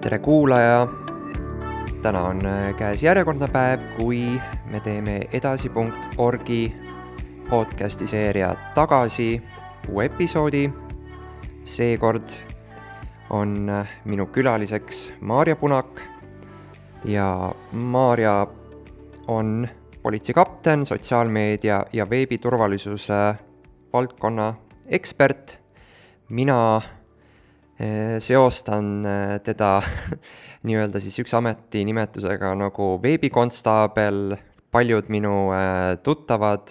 Tere kuulaja! Täna on käes järjekordne päev, kui me teeme edasi.orgi podcasti seeria tagasi uue episoodi. Seekord on minu külaliseks Maarja Punak ja Maarja on politseikapten, sotsiaalmeedia ja veebiturvalisuse valdkonna ekspert. Mina seostan teda nii-öelda siis üks ametinimetusega nagu veebikonstaabel. Paljud minu tuttavad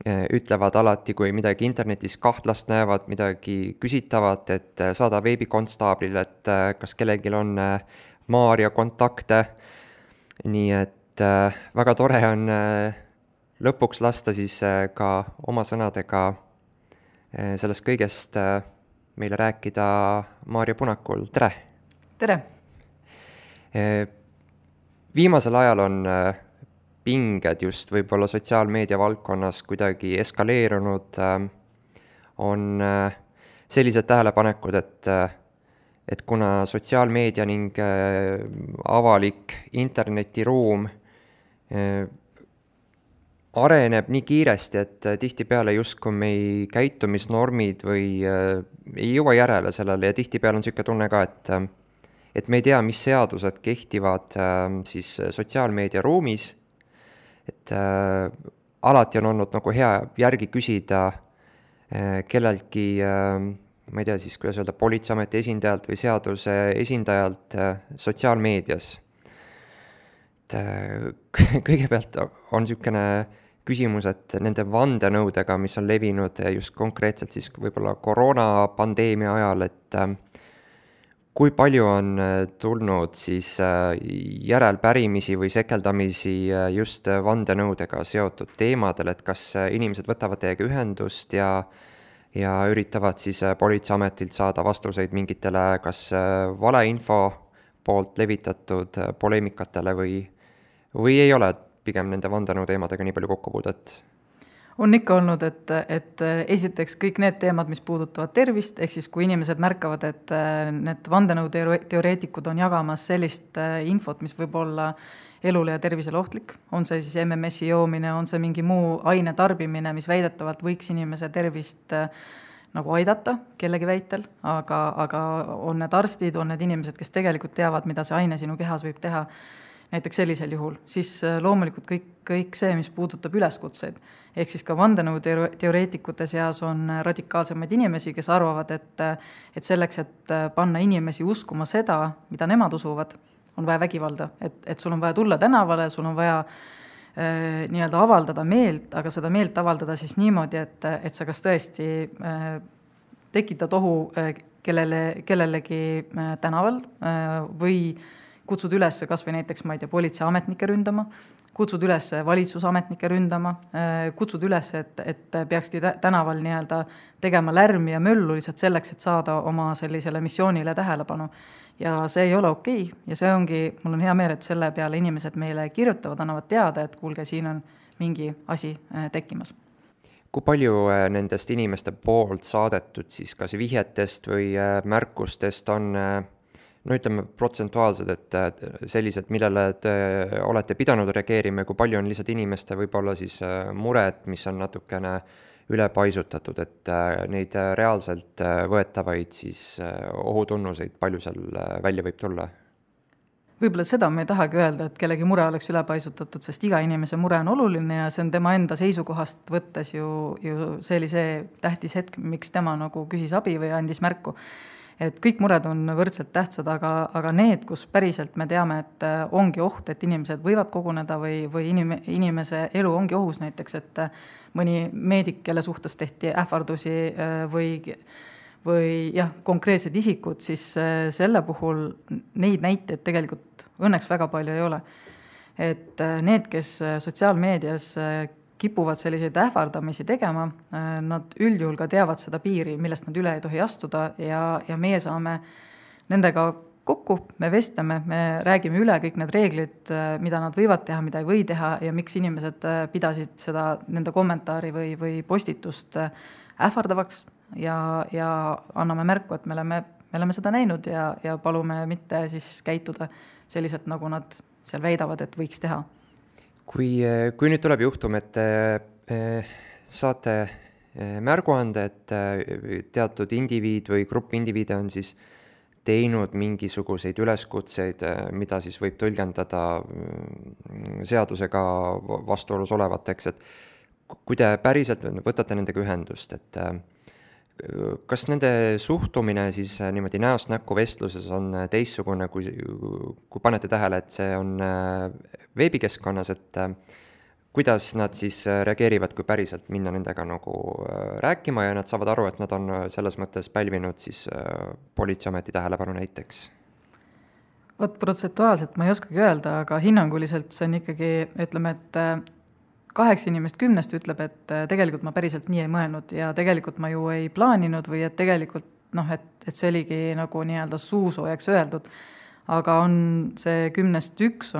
ütlevad alati, kui midagi internetis kahtlast näevad, midagi küsitavad, et saada veebikonstaablile, et kas kellelgi on Maarja kontakte. Nii et väga tore on lõpuks lasta siis ka oma sõnadega sellest kõigest meile rääkida Maarja Punakul. Tere! Tere! Viimasel ajal on pinged just võib-olla sotsiaalmeedia valdkonnas kuidagi eskaleerunud. On sellised tähelepanekud, et kuna sotsiaalmeedia ning avalik internetiruum areneb nii kiiresti, et tihtipeale justkui meie käitumisnormid või ei jõua järele sellele ja tihtipeale on selline tunne ka, et me ei tea, mis seadused kehtivad siis sotsiaalmeedia ruumis. Et alati on olnud nagu hea järgi küsida kelleltki, ma ei tea siis, kuidas öelda, politseiameti esindajalt või seaduse esindajalt sotsiaalmeedias. Kõigepealt on selline küsimus, et nende vandenõudega, mis on levinud just konkreetselt siis võib-olla koroonapandeemia ajal, et kui palju on tulnud siis järelpärimisi või sekeldamisi just vandenõudega seotud teemadel, et kas inimesed võtavad teiega ühendust ja üritavad siis politseiametilt saada vastuseid mingitele kas valeinfo poolt levitatud poleemikatele või ei ole pigem nende vandenõu teemadega nii palju kokkupuudet? On ikka olnud, et esiteks kõik need teemad, mis puudutavad tervist, ehk siis kui inimesed märkavad, et need vandenõu teoreetikud on jagamas sellist infot, mis võib olla elule ja tervisele ohtlik, on see siis MMS-i joomine, on see mingi muu aine tarbimine, mis väidetavalt võiks inimese tervist nagu aidata kellegi väitel, aga on need arstid, on need inimesed, kes tegelikult teavad, mida see aine sinu kehas võib teha, näiteks sellisel juhul, siis loomulikult kõik see, mis puudutab üleskutseid. Ehk siis ka vandenõu teoreetikute seas on radikaalsemaid inimesi, kes arvavad, et selleks, et panna inimesi uskuma seda, mida nemad usuvad, on vaja vägivalda. Et sul on vaja tulla tänavale, sul on vaja nii-öelda avaldada meelt, aga seda meelt avaldada siis niimoodi, et sa kas tõesti tekitad ohu kellelegi tänaval või kutsud üles kas või näiteks, ma ei tea, politseiametnike ründama, kutsud üles valitsusametnike ründama, kutsud üles, et peakski tänaval nii-öelda tegema lärmi ja möllu lihtsalt selleks, et saada oma sellisele missioonile tähelepanu. Ja see ei ole okei. Ja see ongi, mul on hea meel, et selle peale inimesed meile kirjutavad, annavad teada, et kuulge, siin on mingi asi tekkimas. Kui palju nendest inimeste poolt saadetud siis kas vihjetest või märkustest on ütleme protsentuaalsed, et sellised, millele te olete pidanud reageerima, kui palju on lihtsalt inimeste võib-olla siis mured, mis on natukene ülepaisutatud, et neid reaalselt võetavaid siis ohutunnuseid, palju seal välja võib tulla? Võib-olla seda me ei tahagi öelda, et kellegi mure oleks ülepaisutatud, sest iga inimese mure on oluline ja see on tema enda seisukohast võttes ju see oli see tähtis hetk, miks tema nagu küsis abi või andis märku. Et kõik mured on võrdselt tähtsad, aga need, kus päriselt me teame, et ongi oht, et inimesed võivad koguneda või inimese elu ongi ohus näiteks, et mõni meedik, kelle suhtes tehti ähvardusi või jah, konkreetsed isikud, siis selle puhul neid näiteid tegelikult õnneks väga palju ei ole. Et need, kes sotsiaalmeedias kipuvad selliseid ähvardamisi tegema, nad üldjuhul ka teavad seda piiri, millest nad üle ei tohi astuda ja meie saame nendega kokku, me vestleme, me räägime üle kõik need reeglid, mida nad võivad teha, mida ei või teha ja miks inimesed pidasid seda nende kommentaari või postitust ähvardavaks ja anname märku, et me me oleme seda näinud ja palume mitte siis käituda selliselt, nagu nad seal väidavad, et võiks teha. Kui nüüd tuleb juhtum, et saate märguande, et teatud indiviid või grupp indiviide on siis teinud mingisuguseid üleskutseid, mida siis võib tõlgendada seadusega vastuolus olevateks, et kui te päriselt võtate nendega ühendust, et kas nende suhtumine siis niimoodi näost näkku vestluses on teistsugune, kui panete tähele, et see on veebikeskkonnas, et kuidas nad siis reageerivad, kui päriselt minna nendega nagu rääkima ja nad saavad aru, et nad on selles mõttes pälvinud siis politseiameti tähelepanu näiteks? Vot protsentuaalselt ma ei oskagi öelda, aga hinnanguliselt see on ikkagi, ütleme, et 8 inimest 10 ütleb, et tegelikult ma päriselt nii ei mõelnud ja tegelikult ma ju ei plaaninud või et tegelikult et see oligi nagu nii-öelda suusoojaks öeldud. Aga on see 10-st 1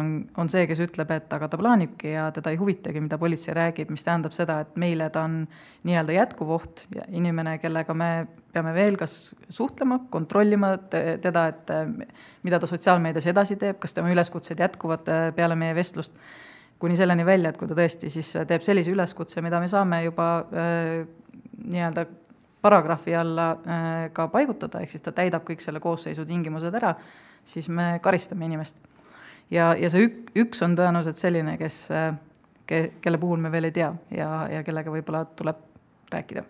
on see, kes ütleb, et aga ta plaanibki ja teda ei huvitagi, mida politsei räägib, mis tähendab seda, et meile ta on nii-öelda jätkuvoht ja inimene, kellega me peame veel kas suhtlema, kontrollima teda, et mida ta sotsiaalmeedias edasi teeb, kas tema üleskutsed jätkuvad peale meie vestlust, kuni selleni välja, et kui ta tõesti siis teeb sellise üleskutse, mida me saame juba nii-öelda paragrahvi alla ka paigutada, ehk siis ta täidab kõik selle koosseisu tingimused ära, siis me karistame inimest. Ja see üks on tõenäoliselt selline, kelle puhul me veel ei tea ja kellega võib-olla tuleb rääkida.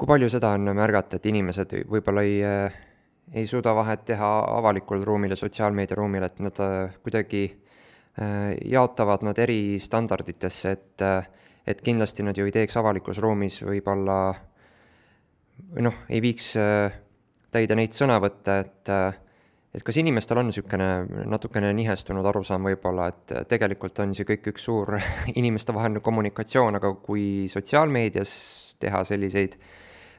Kui palju seda on märgata, et inimesed võib-olla ei suuda vahet teha avalikul ruumil ja sotsiaalmeedia ruumil, et nad kuidagi jaotavad nad eri standarditesse, et kindlasti nad ju ei teeks avalikus ruumis võib-olla või ei viiks täide neid sõnavõtte, et kas inimestel on niisugune natukene nihestunud arusaam võib-olla, et tegelikult on see kõik üks suur inimestevaheline kommunikatsioon, aga kui sotsiaalmeedias teha selliseid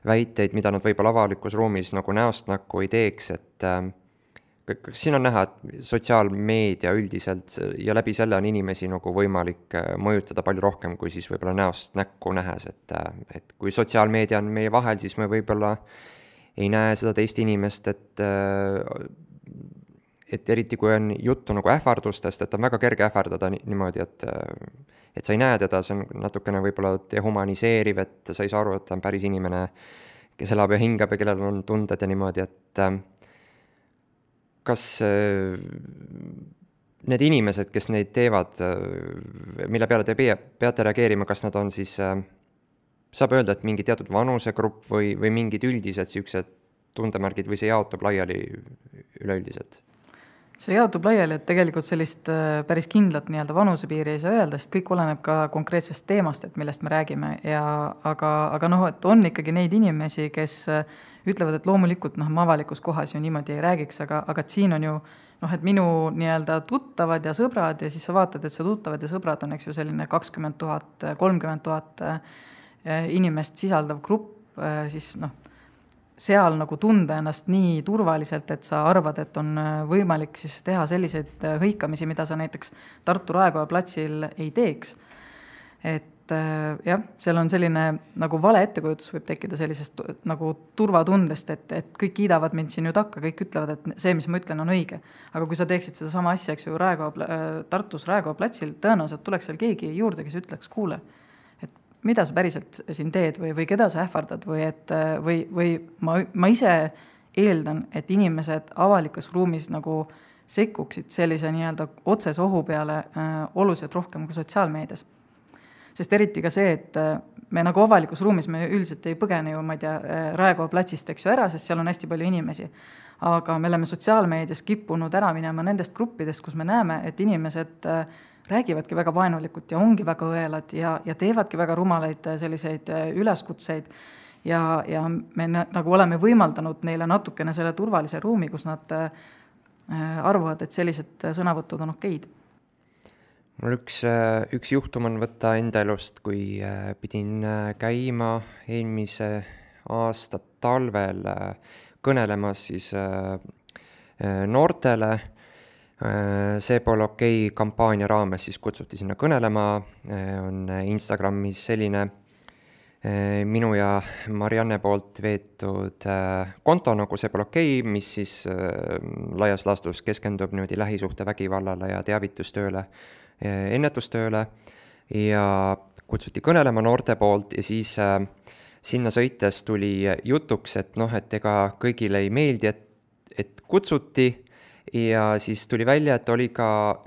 väiteid, mida nad võib-olla avalikus ruumis nagu näost näkku ei teeks, et siin on näha, et sotsiaalmeedia üldiselt ja läbi selle on inimesi nagu võimalik mõjutada palju rohkem kui siis võib-olla näost näkku nähes, et kui sotsiaalmeedia on meie vahel, siis me võib-olla ei näe seda teist inimest, et eriti kui on juttu nagu ähvardustest, et on väga kerge ähvardada niimoodi, et sa ei näe teda, see on natukene võib-olla dehumaniseeriv, et sa ei saa aru, et ta on päris inimene, kes elab ja hingab ja kellel on tunded ja niimoodi, et kas need inimesed, kes neid teevad, mille peale te peate reageerima, kas nad on siis, saab öelda, et mingi teatud vanusegrupp või mingid üldised siuksed tundemärgid või see jaotub laiali üleüldiselt? See jaotub laiali, et tegelikult sellist päris kindlat nii-öelda vanusepiiri ei saa öelda, sest kõik oleneb ka konkreetsest teemast, et millest me räägime, aga et on ikkagi neid inimesi, kes ütlevad, et loomulikult ma avalikus kohas ju niimoodi ei räägiks, aga et siin on ju et minu nii-öelda tuttavad ja sõbrad ja siis sa vaatad, et see tuttavad ja sõbrad on eks ju selline 20 000, 30 000 inimest sisaldav grupp, siis seal nagu tunda ennast nii turvaliselt, et sa arvad, et on võimalik siis teha selliseid hõikamisi, mida sa näiteks Tartu Raekoja platsil ei teeks. Et jah, seal on selline nagu vale ettekujutus võib tekkida sellisest nagu turvatundest, et kõik kiidavad mind siin ju takka, kõik ütlevad, et see, mis ma ütlen, on õige. Aga kui sa teeksid seda sama asja, eks ju, Tartus Raekoja platsil, tõenäoliselt tuleks seal keegi juurde, kes ütleks, kuule, mida sa päriselt siin teed või keda sa ähvardad või ma ise eeldan, et inimesed avalikus ruumis nagu sekkuksid sellise nii-öelda otsese ohu peale oluliselt rohkem kui sotsiaalmeedias. Sest eriti ka see, et me nagu avalikus ruumis me üldiselt ei põgene ju, ma ei tea, Raekoja platsist, eks ju ära, sest seal on hästi palju inimesi. Aga me oleme sotsiaalmeedias kippunud ära minema nendest gruppidest, kus me näeme, et inimesed räägivadki väga vaenulikult ja ongi väga õelad ja teevadki väga rumalaid selliseid üleskutseid ja me nagu oleme võimaldanud neile natukene selle turvalise ruumi, kus nad arvavad, et sellised sõnavõtud on okeid. Mul üks juhtum on võtta enda elust, kui pidin käima eelmise aasta talvel kõnelemas siis noortele. See pole okei kampaania raames siis kutsuti sinna kõnelema, on Instagramis selline minu ja Marianne poolt veetud konto, nagu see pole okei, mis siis laias laastus keskendub niimoodi lähisuhtevägivallale ja teavitustööle, ennetustööle ja kutsuti kõnelema noorte poolt ja siis sinna sõites tuli jutuks, et et ega kõigile ei meeldi, et kutsuti ja siis tuli välja, et oli ka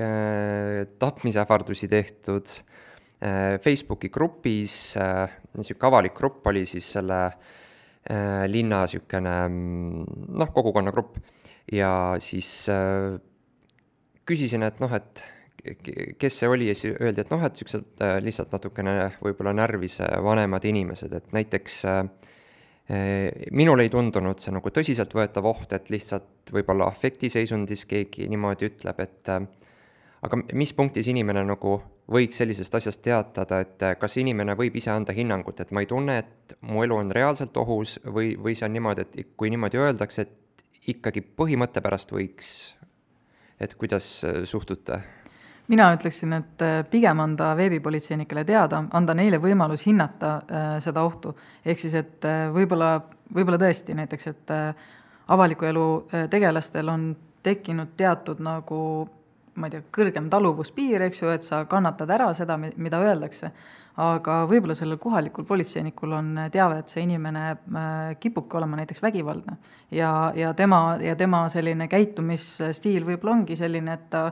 tapmisähvardusi tehtud Facebooki grupis, niisugune avalik grupp oli siis selle linna niisugune kogukonnagrupp ja siis küsisin, et kes see oli ja siis öeldi, et et niisugused lihtsalt natukene võib-olla närvis vanemad inimesed, et näiteks minul ei tundunud see nagu tõsiseltvõetav oht, et lihtsalt võib-olla afektiseisundis keegi niimoodi ütleb, et aga mis punktis inimene nagu võiks sellisest asjast teatada, et kas inimene võib ise anda hinnangut, et ma ei tunne, et mu elu on reaalselt ohus või see on niimoodi, et kui niimoodi öeldakse, et ikkagi põhimõtte pärast võiks, et kuidas suhtute? Mina ütleksin, et pigem anda veebipolitseinikele teada, anda neile võimalus hinnata seda ohtu. Ehk siis, et võib-olla tõesti näiteks, et avaliku elu tegelastel on tekkinud teatud nagu ma ei tea, kõrgem taluvuspiir, eks ju, et sa kannatad ära seda, mida öeldakse. Aga võib-olla sellel kohalikul politseinikul on teave, et see inimene kipubki olema näiteks vägivaldne. Ja tema selline käitumisstiil võib-olla ongi selline, et ta,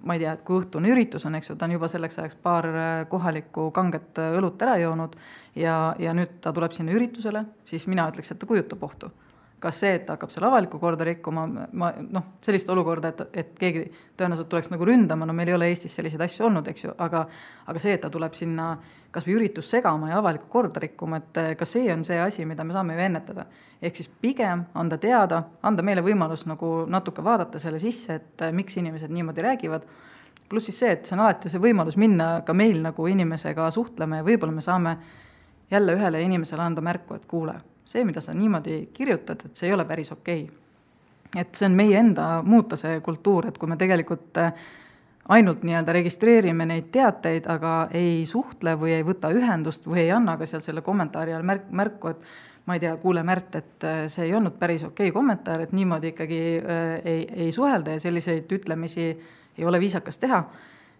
ma ei tea, et kui õhtune üritus on, eks ju, ta on juba selleks ajaks paar kohalikku kanget õlut ära joonud ja nüüd ta tuleb sinna üritusele, siis mina ütleks, et ta kujutab ohtu. Kas see, et ta hakkab seal avalikku korda rikkuma, sellist olukorda, et keegi tõenäoliselt tuleks nagu ründama, meil ei ole Eestis selliseid asju olnud, eks ju, aga see, et ta tuleb sinna kas või üritus segama ja avalikku korda rikkuma, et ka see on see asi, mida me saame ju ennetada. Ehk siis pigem anda teada, anda meile võimalus nagu natuke vaadata selle sisse, et miks inimesed niimoodi räägivad, pluss siis see, et see on alati see võimalus minna ka meil nagu inimesega suhtlema ja võib-olla me saame jälle ühele inimesele anda märku, et kuule, see, mida sa niimoodi kirjutad, et see ei ole päris okei. Et see on meie enda muuta see kultuur, et kui me tegelikult ainult nii-öelda registreerime neid teateid, aga ei suhtle või ei võta ühendust või ei anna ka seal selle kommentaari all märku, et ma ei tea, kuule Märt, et see ei olnud päris okei kommentaar, et niimoodi ikkagi ei suhelda ja selliseid ütlemisi ei ole viisakas teha,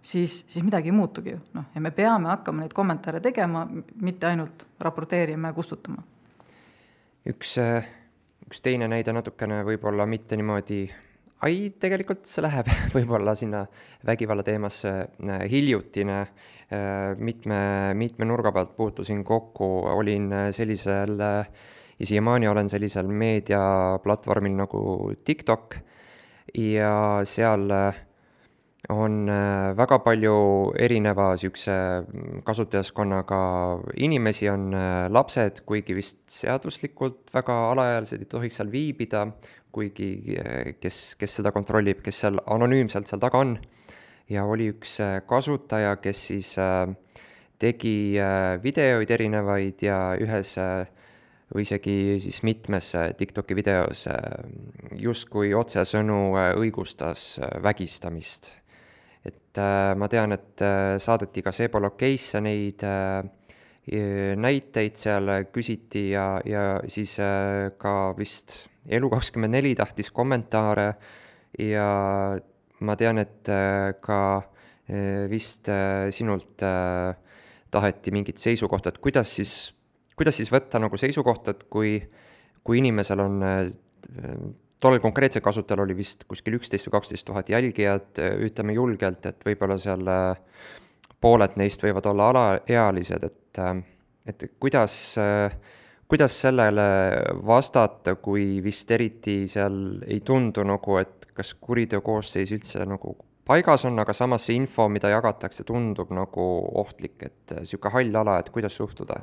siis midagi ei muutugi ju. Ja me peame hakkama neid kommentaare tegema, mitte ainult raporteerima ja kustutama. Üks teine näide natukene võib-olla mitte niimoodi, tegelikult see läheb võib-olla sinna vägivalla teemasse hiljutine, mitme nurga pealt puutusin kokku, olin sellisel, ja siiamaani olen sellisel meediaplatvormil nagu TikTok ja seal on väga palju erineva sükse kasutajaskonnaga inimesi, on lapsed, kuigi vist seaduslikult väga alaealised ei tohiks seal viibida, kuigi kes seda kontrollib, kes seal anonüümselt seal taga on. Ja oli üks kasutaja, kes siis tegi videoid erinevaid ja ühes või isegi siis mitmes TikToki videos justkui otsesõnu õigustas vägistamist. Et ma tean, et saadeti ka see pole okeisse neid näiteid seal küsiti ja siis ka vist Elu24 tahtis kommentaare ja ma tean, et ka vist sinult taheti mingit seisukohta, et kuidas siis võtta nagu seisukohta, et kui inimesel on tollel konkreetsel kasutajal oli vist kuskil 11 või 12 000 jälgijat, ütleme julgelt, et võib-olla seal pooled neist võivad olla alaealised, et kuidas sellele vastata, kui vist eriti seal ei tundu nagu, et kas kuriteokoosseis üldse nagu paigas on, aga samas see info, mida jagatakse, tundub nagu ohtlik, et siuke hall ala, et kuidas suhtuda?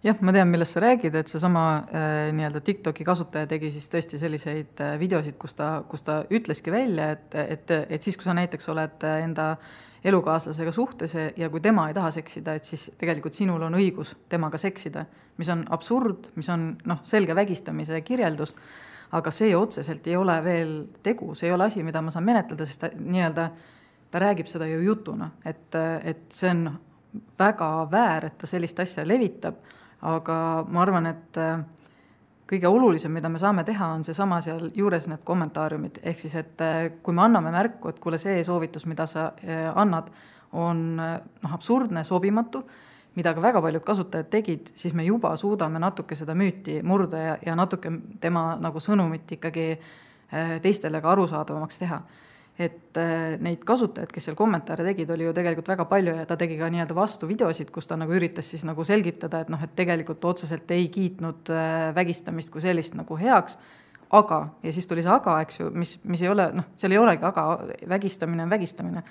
Jah, ma tean, millest sa räägid, et see sama nii-öelda TikToki kasutaja tegi siis tõesti selliseid videosid, kus ta ütleski välja, et siis, kui sa näiteks oled enda elukaaslasega suhtes ja kui tema ei taha seksida, et siis tegelikult sinul on õigus temaga seksida, mis on absurd, mis on selge vägistamise kirjeldus, aga see otseselt ei ole veel tegu, see ei ole asi, mida ma saan menetleda, sest ta räägib seda ju jutuna, et see on väga väär, et ta sellist asja levitab, aga ma arvan, et kõige olulisem, mida me saame teha, on seesama seal juures need kommentaariumid, ehk siis, et kui me anname märku, et kuule, see soovitus, mida sa annad, on absurdne, sobimatu, mida ka väga paljud kasutajad tegid, siis me juba suudame natuke seda müüti murda ja natuke tema nagu sõnumit ikkagi teistele ka arusaadavamaks teha. Et neid kasutajaid, kes seal kommentaare tegid, oli ju tegelikult väga palju ja ta tegi ka nii-öelda vastu videosid, kus ta nagu üritas siis nagu selgitada, et et tegelikult otseselt ei kiitnud vägistamist kui sellist nagu heaks, aga, ja siis tuli see aga, eks ju, mis ei ole, seal ei olegi aga, vägistamine on vägistamine.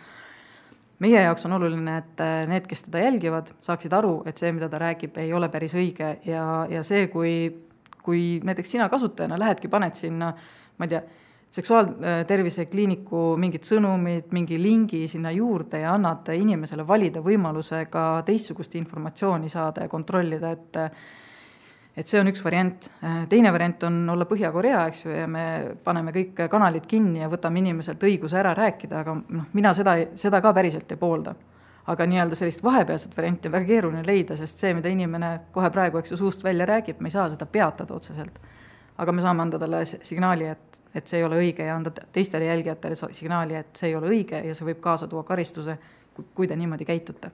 Meie jaoks on oluline, et need, kes teda jälgivad, saaksid aru, et see, mida ta räägib, ei ole päris õige ja see, kui näiteks sina kasutajana lähedki, paned sinna, ma ei tea, seksuaaltervise kliiniku mingid sõnumid, mingi lingi sinna juurde ja annad inimesele valida võimaluse ka teistsugust informatsiooni saada ja kontrollida, et see on üks variant. Teine variant on olla Põhja-Korea, eks ju, ja me paneme kõik kanalid kinni ja võtame inimeselt õiguse ära rääkida, aga mina seda ka päriselt ei poolda. Aga nii-öelda sellist vahepealset varianti on väga keeruline leida, sest see, mida inimene kohe praegu, eks ju, suust välja räägib, me ei saa seda peatada otseselt. Aga me saame anda talle signaali, et see ei ole õige ja anda teistele jälgijatele signaali, et see ei ole õige ja see võib kaasa tuua karistuse, kui te niimoodi käitute.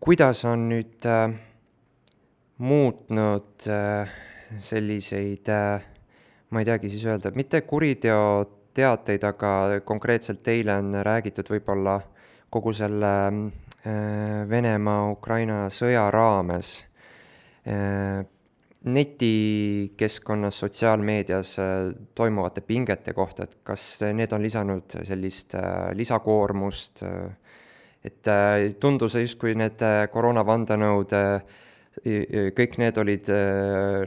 Kuidas on nüüd muutnud selliseid, ma ei teagi siis öelda, mitte kuriteoteateid, aga konkreetselt teile on räägitud võib-olla kogu selle Venemaa-Ukraina sõja raames netikeskkonnas, sotsiaalmeedias toimuvate pingete kohta, et kas need on lisanud sellist lisakoormust, et tundus justkui need koroonavandanõud, kõik need olid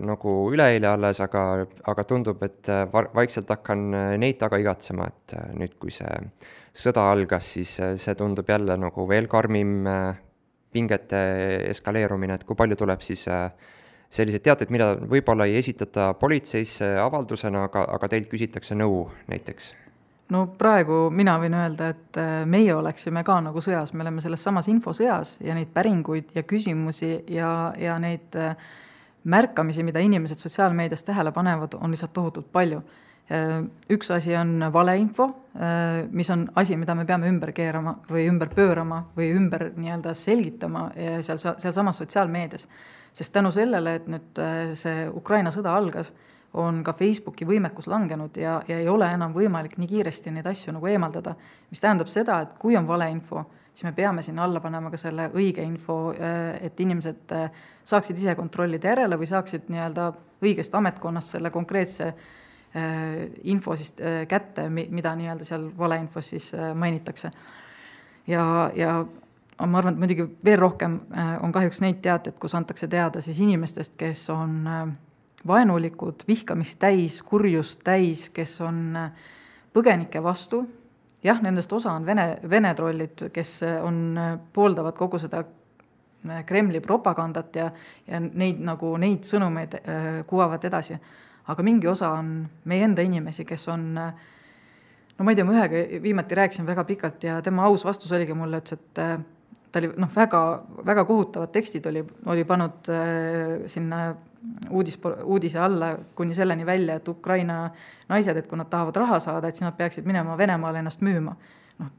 nagu üleeile alles, aga tundub, et vaikselt hakkan neid taga igatsema, et nüüd, kui see sõda algas, siis see tundub jälle nagu veel karmim pingete eskaleerumine, et kui palju tuleb siis sellised teated, mida võib-olla ei esitata politseisse avaldusena, aga teilt küsitakse nõu näiteks? No praegu mina võin öelda, et meie oleksime ka nagu sõjas, me oleme selles samas infosõjas ja neid päringuid ja küsimusi ja neid märkamisi, mida inimesed sotsiaalmeedias tähele panevad, on lihtsalt tohutult palju. Üks asi on valeinfo, mis on asi, mida me peame ümber keerama või ümber pöörama või ümber nii-öelda selgitama seal samas sotsiaalmeedias. Sest tänu sellele, et nüüd see Ukraina sõda algas, on ka Facebooki võimekus langenud ja ei ole enam võimalik nii kiiresti neid asju nagu eemaldada. Mis tähendab seda, et kui on valeinfo, siis me peame sinna alla panema ka selle õige info, et inimesed saaksid ise kontrollida järele või saaksid nii-öelda õigest ametkonnast selle konkreetse info siis kätte, mida nii-öelda seal valeinfos siis mainitakse. Ja ma arvan, et muidugi veel rohkem on kahjuks neid teated, kus antakse teada siis inimestest, kes on vaenulikud, vihkamist täis, kurjust täis, kes on põgenike vastu. Jah, nendest osa on Vene trollid, kes pooldavad kogu seda Kremli propagandat ja neid sõnumeid kuvavad edasi. Aga mingi osa on meie enda inimesi, kes on, no ma ei tea, ma ühega viimati rääkisin väga pikalt ja tema aus vastus oligi mulle, et ta oli väga, väga kohutavad tekstid oli pannud sinna uudise alla kuni selleni välja, et Ukraina naised, et kui nad tahavad raha saada, et siis nad peaksid minema Venemaale ennast müüma.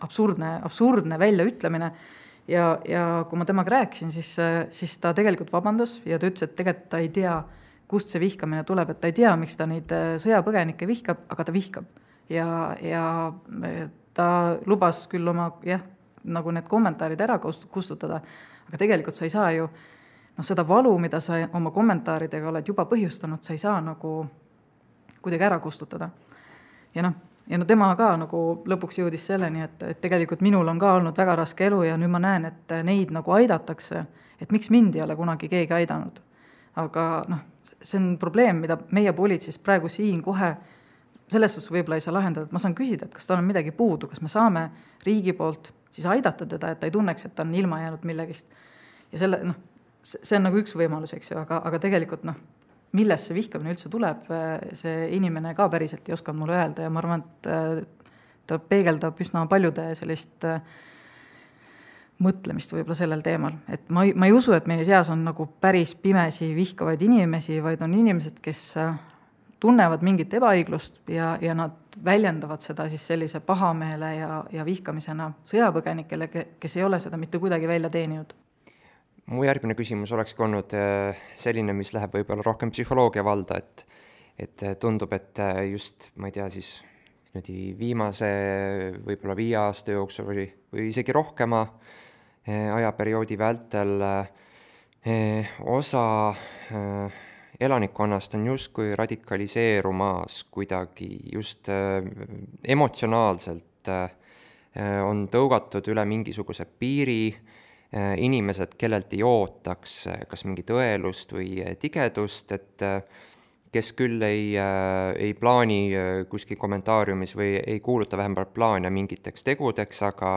Absurdne väljaütlemine ja kui ma temaga rääkisin, siis ta tegelikult vabandas ja ta ütles, et tegelikult ta ei tea, kust see vihkamine tuleb, et ta ei tea, miks ta neid sõjapõgenikke vihkab, aga ta vihkab. Ja ta lubas küll oma, nagu need kommentaarid ära kustutada, aga tegelikult sa ei saa ju seda valu, mida sa oma kommentaaridega oled juba põhjustanud, sa ei saa nagu kuidagi ära kustutada. Ja tema ka nagu lõpuks jõudis selleni, et tegelikult minul on ka olnud väga raske elu ja nüüd ma näen, et neid nagu aidatakse, et miks mind ei ole kunagi keegi aidanud. Aga see on probleem, mida meie politseis praegu siin kohe selles suhtes võib-olla ei saa lahendada, et ma saan küsida, et kas tal on midagi puudu, kas me saame riigi poolt siis aidata teda, et ta ei tunneks, et ta on ilma jäänud millegist. Ja see on nagu üks võimalus, eks ju, aga tegelikult millest see vihkamine üldse tuleb, see inimene ka päriselt ei osanud mulle öelda ja ma arvan, et ta peegeldab üsna paljude sellist mõtlemist võib-olla sellel teemal, et ma ei usu, et meie seas on nagu päris pimesi vihkavaid inimesi, vaid on inimesed, kes tunnevad mingit ebaõiglust ja nad väljendavad seda siis sellise pahameele ja vihkamisena sõjapõgenikele, kes ei ole seda mitte kuidagi välja teeninud. Mu järgmine küsimus olekski olnud selline, mis läheb võib-olla rohkem psühholoogia valda, et tundub, et just, ma ei tea, siis viimase võib-olla 5 aasta jooksul või isegi rohkema ajaperioodi vältel osa elanikkonnast on justkui radikaliseerumas kuidagi just emotsionaalselt, on tõugatud üle mingisuguse piiri, inimesed, kellelt ei ootaks kas mingit õelust või tigedust, et kes küll ei plaani kuskil kommentaariumis või ei kuuluta vähemalt plaane mingiteks tegudeks, aga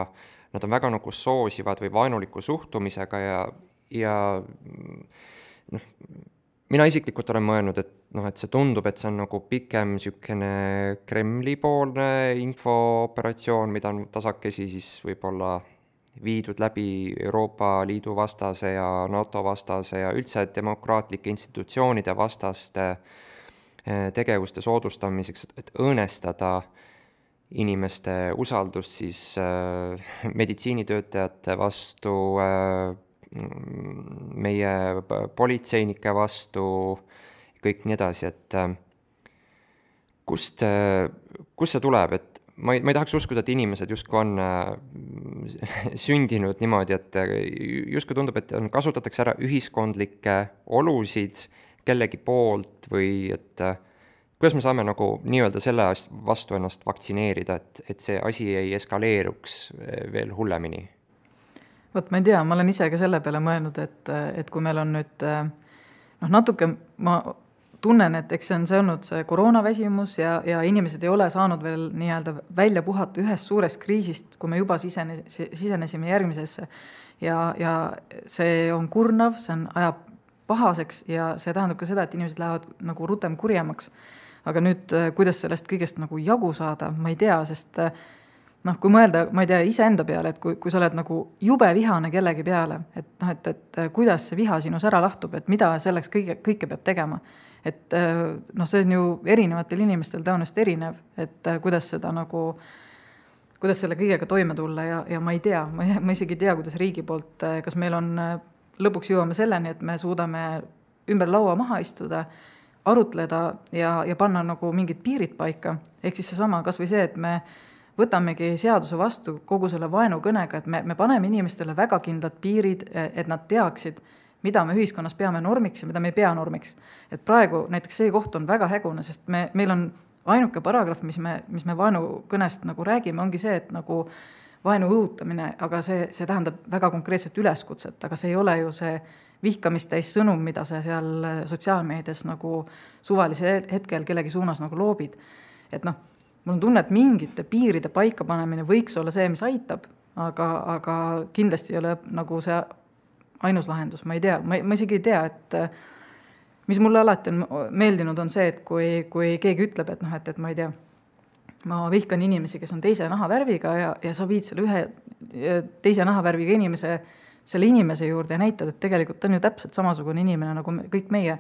nad on väga nagu soosivad või vaenuliku suhtumisega ja mina isiklikult olen mõelnud, et see tundub, et see on nagu pikem niisugune Kremli-poolne infooperatsioon, mida on tasakesi siis võib-olla viidud läbi Euroopa Liidu vastase ja NATO vastase ja üldse demokraatlike institutsioonide vastaste tegevuste soodustamiseks, et õõnestada inimeste usaldust siis meditsiinitöötajate vastu, meie politseinike vastu, kõik nii edasi, et kust see tuleb, et ma ei tahaks uskuda, et inimesed justkui on sündinud niimoodi, et justkui tundub, et kasutatakse ära ühiskondlikke olusid kellegi poolt või et kuidas me saame nagu nii-öelda selle vastu ennast vaktsineerida, et see asi ei eskaleeruks veel hullemini? Vot ma ei tea, ma olen ise ka selle peale mõelnud, et kui meil on nüüd natuke, ma tunnen, et eks see on olnud see koroonaväsimus ja inimesed ei ole saanud veel nii-öelda välja puhata ühest suurest kriisist, kui me juba sisenesime järgmisesse ja see on kurnav, see ajab pahaseks ja see tähendab ka seda, et inimesed lähevad nagu rutem kurjemaks. Aga nüüd, kuidas sellest kõigest nagu jagu saada, ma ei tea, sest kui mõelda, ma ei tea, iseenda peale, et kui sa oled nagu jube vihane kellegi peale, et kuidas see viha sinus ära lahtub, et mida selleks kõike peab tegema. Et see on ju erinevatel inimestel tõenäoliselt erinev, et kuidas selle kõigega toime tulla ja ma ei tea, ma isegi ei tea, kuidas riigi poolt, kas meil on lõpuks jõuame selleni, et me suudame ümber laua maha istuda, arutleda ja panna nagu mingid piirid paika. Ehk siis seesama kas või see, et me võtamegi seaduse vastu kogu selle vaenukõnega, et me paneme inimestele väga kindlad piirid, et nad teaksid, mida me ühiskonnas peame normiks ja mida me ei pea normiks. Et praegu näiteks see koht on väga hägune, sest meil on ainuke paragrahv, mis me vaenukõnest nagu räägime, ongi see, et nagu vaenu õhutamine, aga see tähendab väga konkreetset üleskutset, aga see ei ole ju see vihkamist täis sõnum, mida sa seal sotsiaalmeedias nagu suvalise hetkel kellegi suunas nagu loobid. Et mul on tunne, et mingite piiride paikapanemine võiks olla see, mis aitab, aga kindlasti ei ole nagu see ainus lahendus, ma ei tea, ma isegi ei tea, et mis mulle alati on meeldinud on see, et kui keegi ütleb, et ma ei tea, ma vihkan inimesi, kes on teise nahavärviga ja sa viid selle ühe teise nahavärviga selle inimese juurde ja näitad, et tegelikult on ju täpselt samasugune inimene nagu kõik meie.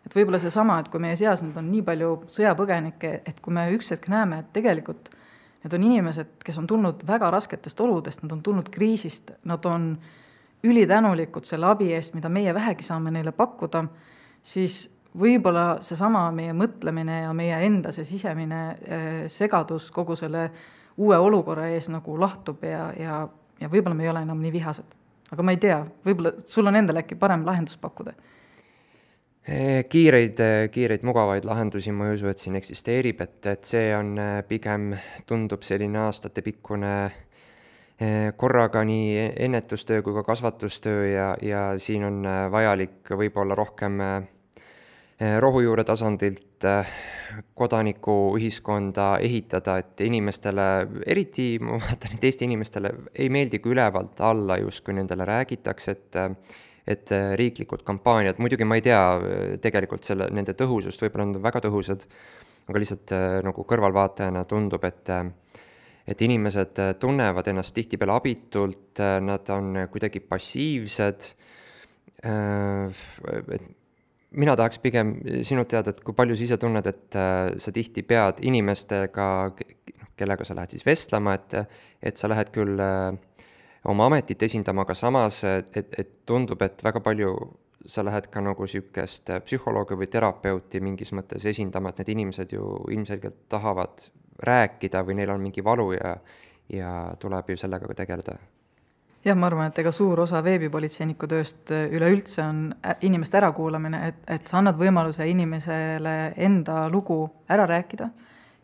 Et võib-olla see sama, et kui meie seas nüüd on nii palju sõjapõgenikke, et kui me üks hetk näeme, et tegelikult need on inimesed, kes on tulnud väga rasketest oludest, nad on tulnud kriisist, nad on ülitänulikud selle abi eest, mida meie vähegi saame neile pakkuda, siis võib-olla seesama meie mõtlemine ja meie enda see sisemine segadus kogu selle uue olukorra ees nagu lahtub ja võib-olla me ei ole enam nii vihased. Aga ma ei tea, võib-olla sul on endal äkki parem lahendus pakkuda? Kiireid mugavaid lahendusi ma ei usu, et siin eksisteerib, et see on pigem tundub selline aastatepikkune korraga nii ennetustöö kui ka kasvatustöö ja siin on vajalik võib-olla rohkem rohujuure tasandilt kodanikuühiskonda ehitada, et inimestele, eriti ma vaatan, et Eesti inimestele ei meeldi, kui ülevalt alla justkui nendele räägitakse, et riiklikud kampaaniad, muidugi ma ei tea tegelikult nende tõhusust, võib-olla nad on väga tõhusad, aga lihtsalt nagu kõrvalvaatajana tundub, et inimesed tunnevad ennast tihtipeale abitult, nad on kuidagi passiivsed. Mina tahaks pigem sinult teada, et kui palju sa ise tunned, et sa tihti pead inimestega, kellega sa lähed siis vestlema, et sa lähed küll oma ametit esindama, aga samas et tundub, et väga palju sa lähed ka nagu sükest psühholoogi või terapeuti mingis mõttes esindama, et need inimesed ju ilmselgelt tahavad rääkida või neil on mingi valu ja tuleb ju sellega ka tegeleda. Jah, ma arvan, et ega suur osa veebipolitseiniku tööst üleüldse on inimeste ärakuulamine, et sa annad võimaluse inimesele enda lugu ära rääkida,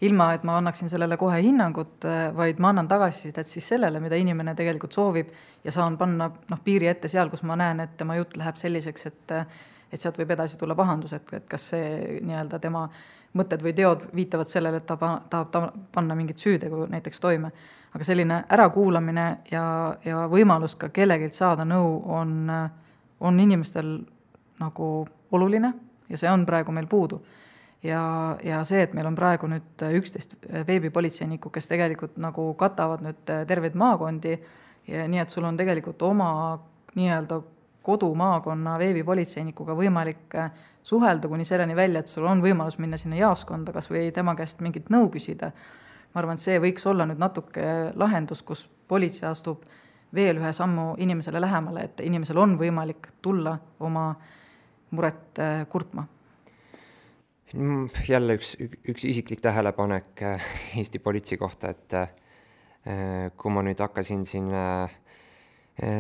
ilma et ma annaksin sellele kohe hinnangut, vaid ma annan tagasisidet siis sellele, mida inimene tegelikult soovib ja saan panna piiri ette seal, kus ma näen, et tema jutt läheb selliseks, et sealt võib edasi tulla pahandus, et kas see nii-öelda tema mõtted või teod viitavad sellele, et ta tahab panna mingit süütegu näiteks toime. Aga selline ärakuulamine ja võimalus ka kellegilt saada nõu on inimestel nagu oluline ja see on praegu meil puudu. Ja see, et meil on praegu nüüd 11 veebipolitseinikku, kes tegelikult nagu katavad nüüd terveid maakondi, ja nii et sul on tegelikult oma nii-öelda kodumaakonna veebipolitseinikuga võimalik suhelda kuni selleni välja, et sul on võimalus minna sinna jaoskonda kas või tema käest mingit nõu küsida. Ma arvan, et see võiks olla nüüd natuke lahendus, kus politsei astub veel ühe sammu inimesele lähemale, et inimesel on võimalik tulla oma muret kurtma. Jälle üks isiklik tähelepanek Eesti politsei kohta, et kui ma nüüd hakkasin siin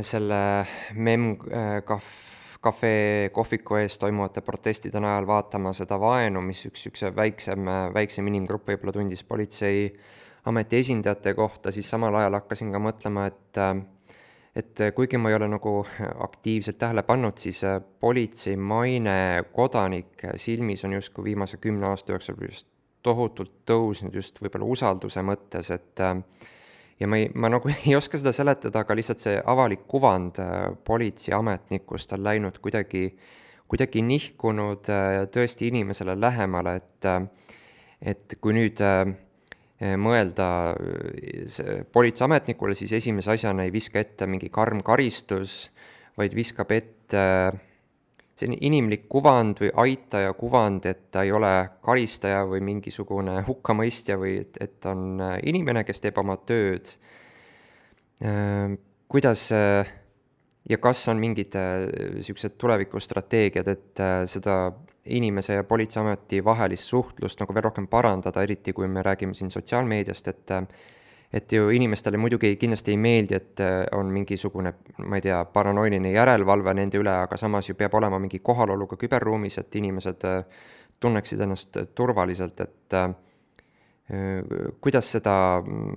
selle MEM-cafe kohviku ees toimuvate protestide najal vaatama seda vaenu, mis üks väiksem inimgrupp võib-olla tundis politsei ameti esindajate kohta, siis samal ajal hakkasin ka mõtlema, et kuigi ma ei ole nagu aktiivselt tähele pannud, siis politsei maine kodanik silmis on justkui viimase 10 aasta jooksul just tohutult tõusnud just võib-olla usalduse mõttes, et ja ma nagu ei oska seda seletada, aga lihtsalt see avalik kuvand politseiametnikust on läinud kuidagi nihkunud tõesti inimesele lähemale, et kui nüüd mõelda politseiametnikule, siis esimese asjana ei viska ette mingi karm karistus, vaid viskab ette selline inimlik kuvand või aitaja kuvand, et ta ei ole karistaja või mingisugune hukkamõistja või et on inimene, kes teeb oma tööd. Kuidas ja kas on mingid sellised tulevikustrateegiad, et seda inimese ja politseiameti vahelist suhtlust nagu veel rohkem parandada, eriti kui me räägime siin sotsiaalmeediast, et ju inimestele muidugi kindlasti ei meeldi, et on mingisugune, ma ei tea, paranoiline järelevalve nende üle, aga samas ju peab olema mingi kohalolu ka küberruumis, et inimesed tunneksid ennast turvaliselt, et kuidas seda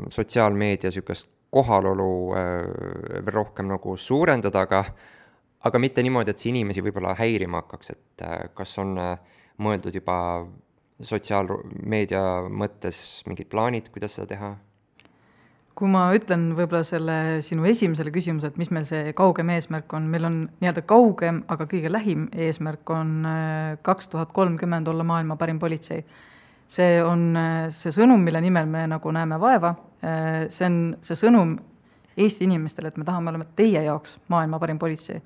sotsiaalmeedia sükest kohalolu veel rohkem nagu suurendada, aga mitte niimoodi, et see inimesi võib-olla häirima hakkaks, et kas on mõeldud juba sotsiaalmeedia mõttes mingid plaanid, kuidas seda teha? Kui ma ütlen võib-olla selle sinu esimesele küsimuse, et mis meil see kaugem eesmärk on, meil on nii-öelda kaugem, aga kõige lähim eesmärk on 2030 olla maailma parim politsei. See on see sõnum, mille nimel me nagu näeme vaeva. See on see sõnum Eesti inimestele, et me tahame olema teie jaoks maailma parim politsei.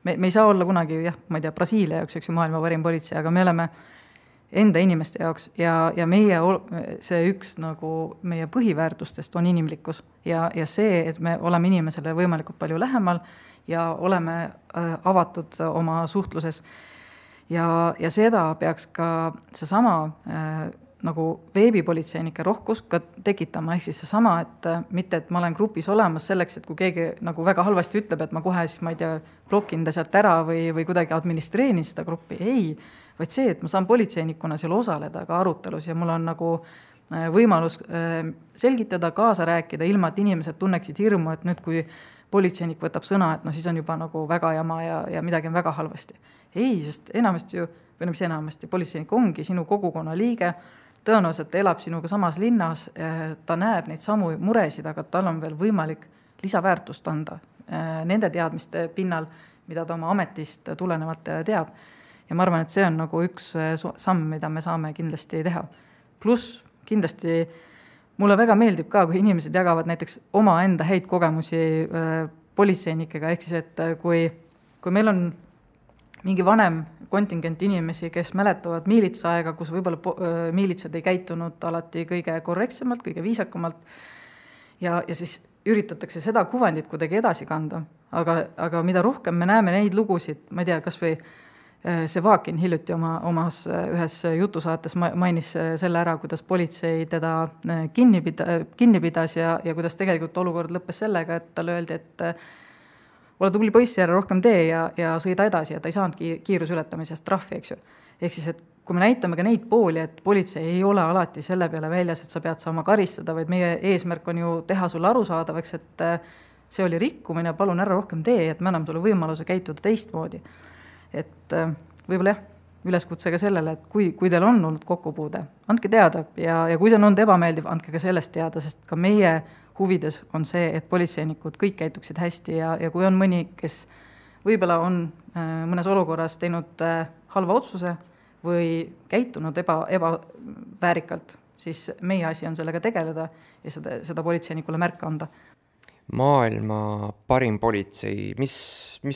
Me ei saa olla kunagi, ma ei tea, Brasiilia jaoks, eks ju, maailma parim politsei, aga me oleme enda inimeste jaoks ja meie, see üks nagu meie põhiväärtustest on inimlikkus ja see, et me oleme inimesele võimalikult palju lähemal ja oleme avatud oma suhtluses ja seda peaks ka seesama nagu veebipolitseinike rohkus ka tekitama, ehk siis seesama, et mitte, et ma olen grupis olemas selleks, et kui keegi nagu väga halvasti ütleb, et ma kohe siis, ma ei tea, blokin ta sealt ära või kuidagi administreenin seda gruppi, ei, vaid see, et ma saan politseinikuna seal osaleda ka arutelus ja mul on nagu võimalus selgitada, kaasa rääkida, ilma et inimesed tunneksid hirmu, et nüüd kui politseinik võtab sõna, et siis on juba nagu väga jama ja midagi on väga halvasti. Ei, sest enamasti ju, või mis enamasti, politseinik ongi sinu kogukonna liige, tõenäoliselt ta elab sinuga samas linnas, ta näeb neid samu muresid, aga tal on veel võimalik lisaväärtust anda nende teadmiste pinnal, mida ta oma ametist tulenevalt teab. Ja ma arvan, et see on nagu üks samm, mida me saame kindlasti teha. Pluss kindlasti mulle väga meeldib ka, kui inimesed jagavad näiteks omaenda häid kogemusi politseinikega, ehk siis, et kui meil on mingi vanem kontingent inimesi, kes mäletavad miilitsaaega, kus võib-olla miilitsad ei käitunud alati kõige korrektsemalt, kõige viisakamalt ja siis üritatakse seda kuvandit kuidagi edasi kanda. Aga mida rohkem me näeme neid lugusid, ma ei tea, kas või see Vakin hiljuti omas ühes jutusaates mainis selle ära, kuidas politsei teda kinni pidas ja kuidas tegelikult olukord lõppes sellega, et talle öeldi, et ole tubli poiss, ära rohkem tee ja sõida edasi, ja ta ei saanud kiirusületamisest trahvi, eks ju. Ehk siis, et kui me näitame ka neid pooli, et politsei ei ole alati selle peale väljas, et sa pead saama karistada, vaid meie eesmärk on ju teha sulle arusaadavaks, et see oli rikkumine, palun ära rohkem tee, et me anname sulle võimaluse käituda teistmoodi. Et võib-olla jah, üleskutse ka sellele, et kui teil on olnud kokkupuude, andke teada ja kui see on olnud ebameeldiv, andke ka sellest teada, sest ka meie huvides on see, et politseinikud kõik käituksid hästi ja kui on mõni, kes võib-olla on mõnes olukorras teinud halva otsuse või käitunud ebaväärikalt, siis meie asi on sellega tegeleda ja seda politseinikule märka anda. Maailma parim politsei, mis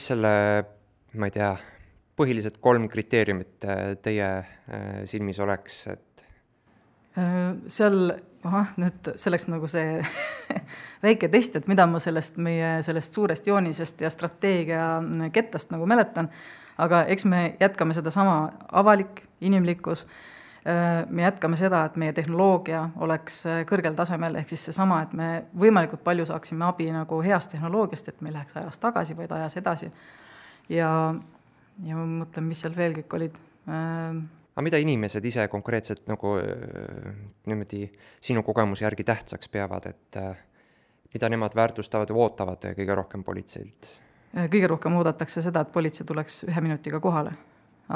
selle, ma ei tea, põhilised 3 kriteeriumit teie silmis oleks, et seal, nüüd selleks nagu see väike test, et mida ma sellest suurest joonisest ja strateegia kettast nagu mäletan, aga eks me jätkame seda sama avalik, inimlikkus, me jätkame seda, et meie tehnoloogia oleks kõrgel tasemel, ehk siis seesama, et me võimalikult palju saaksime abi nagu heast tehnoloogiast, et me läheks ajas tagasi, vaid ajas edasi. Ja ma mõtlen, mis seal veel kõik olid. Aga mida inimesed ise konkreetselt nagu niimoodi sinu kogemuse järgi tähtsaks peavad, et mida nemad väärtustavad ja ootavad kõige rohkem politseilt? Kõige rohkem oodatakse seda, et politsei tuleks 1 minutiga kohale.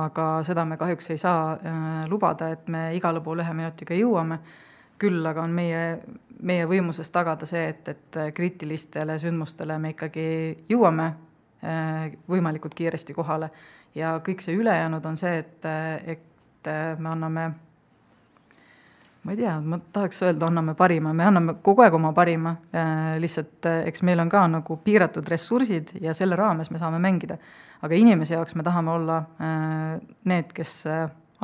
Aga seda me kahjuks ei saa lubada, et me igale pool 1 minutiga jõuame. Küll aga on meie võimuses tagada see, et kriitilistele sündmustele me ikkagi jõuame võimalikult kiiresti kohale. Ja kõik see ülejäänud on see, et me anname, ma ei tea, ma tahaks öelda, anname parima, me anname kogu aeg oma parima, lihtsalt eks meil on ka nagu piiratud ressursid ja selle raames me saame mängida. Aga inimese jaoks me tahame olla need, kes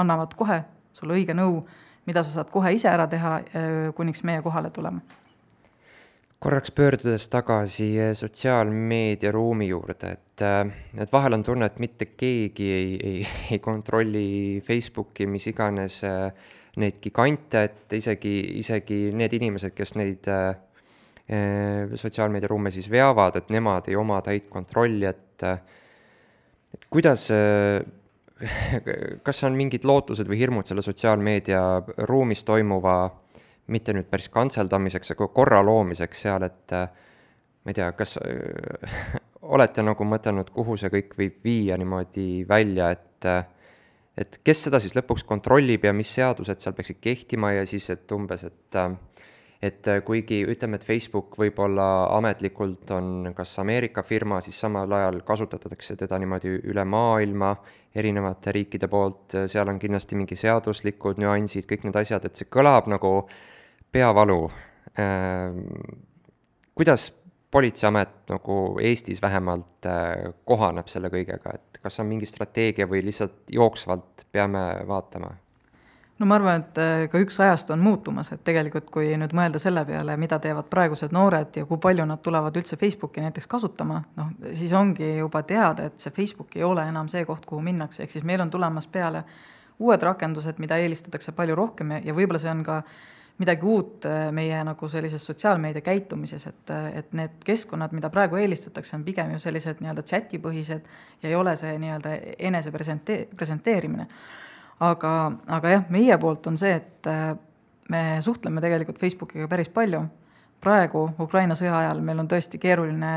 annavad kohe sulle õige nõu, mida sa saad kohe ise ära teha, kuniks meie kohale tuleme. Korraks pöördudes tagasi sotsiaalmeedia ruumi juurde, et vahel on tunne, et mitte keegi ei kontrolli Facebooki, mis iganes neid gigante, et isegi need inimesed, kes neid sotsiaalmeedia ruume siis veavad, et nemad ei oma täit kontrolli, et kuidas, kas on mingid lootused või hirmud selle sotsiaalmeedia ruumis toimuva mitte nüüd päris kantseldamiseks, aga korra loomiseks seal, et ma ei tea, kas olete nagu mõtelnud, kuhu see kõik võib viia niimoodi välja, et kes seda siis lõpuks kontrollib ja mis seadused seal peaksid kehtima ja siis, et umbes, et kuigi ütleme, et Facebook võib-olla ametlikult on kas Ameerika firma, siis samal ajal kasutatakse teda niimoodi üle maailma erinevate riikide poolt, seal on kindlasti mingi seaduslikud nüansid, kõik need asjad, et see kõlab nagu peavalu. Kuidas politseiamet nagu Eestis vähemalt kohaneb selle kõigega, et kas on mingi strateegia või lihtsalt jooksvalt peame vaatama? No ma arvan, et ka üks ajast on muutumas, et tegelikult kui nüüd mõelda selle peale, mida teevad praegused noored ja kui palju nad tulevad üldse Facebooki näiteks kasutama, siis ongi juba teada, et see Facebook ei ole enam see koht, kuhu minnakse, ehk siis meil on tulemas peale uued rakendused, mida eelistatakse palju rohkem ja võib-olla see on ka midagi uut meie nagu sellises sotsiaalmeedia käitumises, et need keskkonnad, mida praegu eelistatakse, on pigem ju sellised nii-öelda chatipõhised ja ei ole see nii-öelda enese presenteerimine. Aga jah, meie poolt on see, et me suhtleme tegelikult Facebookiga päris palju. Praegu Ukraina sõja ajal meil on tõesti keeruline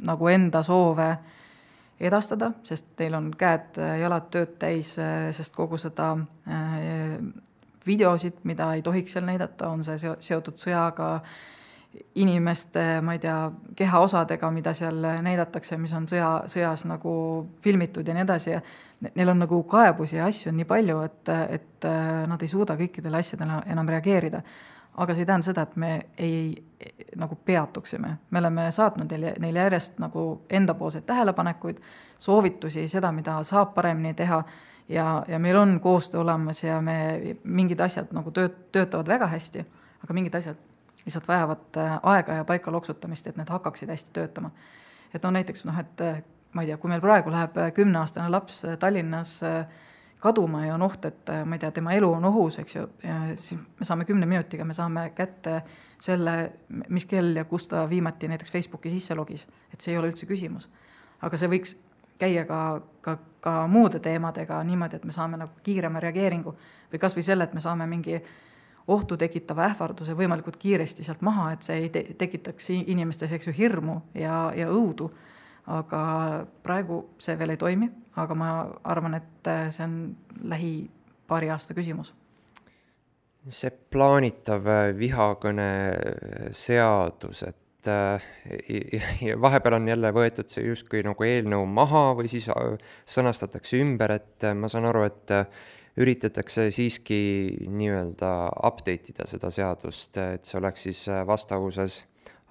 nagu enda soove edastada, sest teil on käed jalad tööd täis, sest kogu seda videosid, mida ei tohiks seal näidata, on see seotud sõjaga, inimeste, ma ei tea, kehaosadega, mida seal näidatakse, mis on sõjas nagu filmitud ja nii edasi. Neil on nagu kaebusi ja asju on nii palju, et nad ei suuda kõikidele asjadele enam reageerida. aga see ei tähenda seda, et me ei nagu peatuksime. Me oleme saatnud neile järjest nagu endapoolseid tähelepanekuid, soovitusi, seda, mida saab paremini teha ja meil on koostöö olemas ja mingid asjad nagu töötavad väga hästi, aga mingid asjad lihtsalt vajavad aega ja paika loksutamist, et need hakkaksid hästi töötama. Et näiteks, et ma ei tea, kui meil praegu läheb 10-aastane laps Tallinnas kaduma ja on oht, et ma ei tea, tema elu on ohus, eks ju, siis me saame 10 minutiga, me saame kätte selle, mis kell ja kus ta viimati näiteks Facebooki sisse logis, et see ei ole üldse küsimus. Aga see võiks käia ka muude teemadega niimoodi, et me saame nagu kiirema reageeringu või kas või selle, et me saame mingi ohtu tekitava ähvarduse võimalikult kiiresti sealt maha, et see ei tekitaks inimestes hirmu ja õudu. Aga praegu see veel ei toimi, aga ma arvan, et see on lähi paari aasta küsimus. See plaanitav vihakõne seadus, et vahepeal on jälle võetud see justkui nagu eelnõu maha või siis sõnastatakse ümber, et ma saan aru, et üritatakse siiski nii-öelda update ida seda seadust, et see oleks siis vastavuses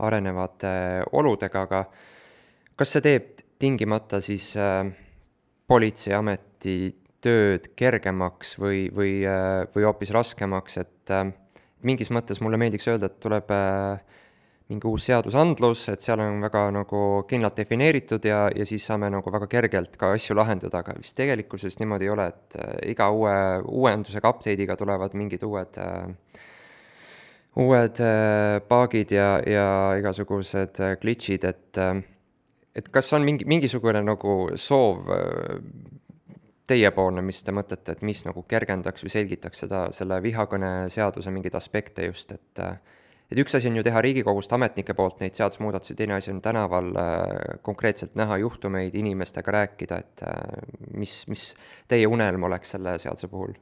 arenevate oludega, aga kas see teeb tingimata siis politseiameti tööd kergemaks või hoopis raskemaks, et mingis mõttes mulle meeldiks öelda, et tuleb mingi uus seadusandlus, et seal on väga nagu kindlalt defineeritud ja siis saame nagu väga kergelt ka asju lahendada, aga vist tegelikkuses niimoodi ei ole, et iga uuendusega update'iga tulevad mingid uued paagid ja igasugused glitchid, et kas on mingisugune nagu soov teiepoolne, mis te mõtlete, et mis nagu kergendaks või selgitaks selle vihakõne seaduse mingeid aspekte just, et üks asi on ju teha Riigikogust ametnike poolt neid seadusmuudatusi, teine asi on tänaval konkreetselt näha juhtumeid, inimestega rääkida, et mis teie unelm oleks selle seaduse puhul?